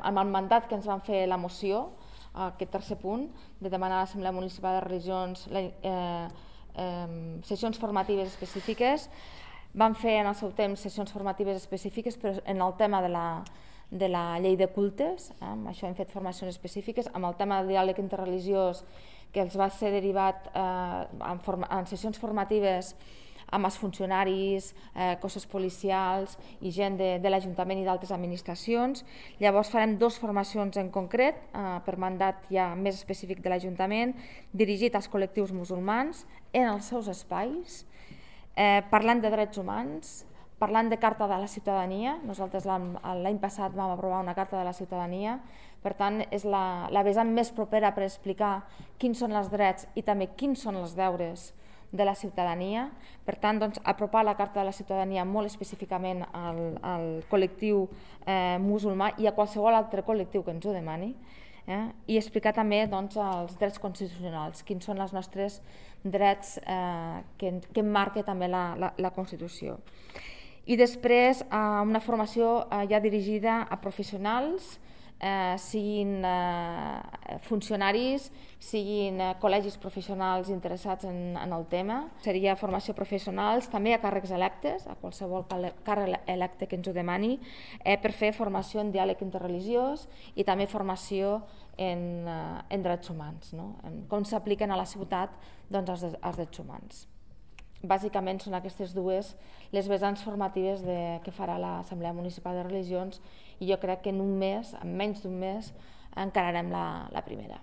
Amb el mandat que ens van fer la moció, aquest tercer punt, de demanar a l'Assemblea Municipal de Religions sessions formatives específiques, van fer en el seu temps sessions formatives específiques, però en el tema de la llei de cultes, amb això hem fet formacions específiques, amb el tema del diàleg interreligiós, que els va ser derivat en sessions formatives amb els funcionaris, cossos policials i gent de l'Ajuntament i d'altres administracions. Llavors farem 2 formacions en concret, per mandat ja més específic de l'Ajuntament, dirigit als col·lectius musulmans en els seus espais, parlant de drets humans, parlant de Carta de la Ciutadania. Nosaltres l'any passat vam aprovar una Carta de la Ciutadania, per tant és la vessant més propera per explicar quins són els drets i també quins són els deures de la ciutadania. Per tant, apropar la Carta de la Ciutadania molt específicament al col·lectiu musulmà i a qualsevol altre col·lectiu que ens ho demani, i explicar també els drets constitucionals, quins són els nostres drets que marca també la Constitució. I després una formació ja dirigida a professionals, siguin funcionaris, siguin col·legis professionals interessats en el tema. Seria formació professionals, també a càrrecs electes, a qualsevol càrrec electe que ens ho demani, per fer formació en diàleg interreligiós i també formació en drets humans, com s'apliquen a la ciutat els drets humans. Bàsicament són aquestes dues les vessants formatives que farà l'Assemblea Municipal de Religions, i jo crec que en un mes, en menys d'un mes, encararem la primera.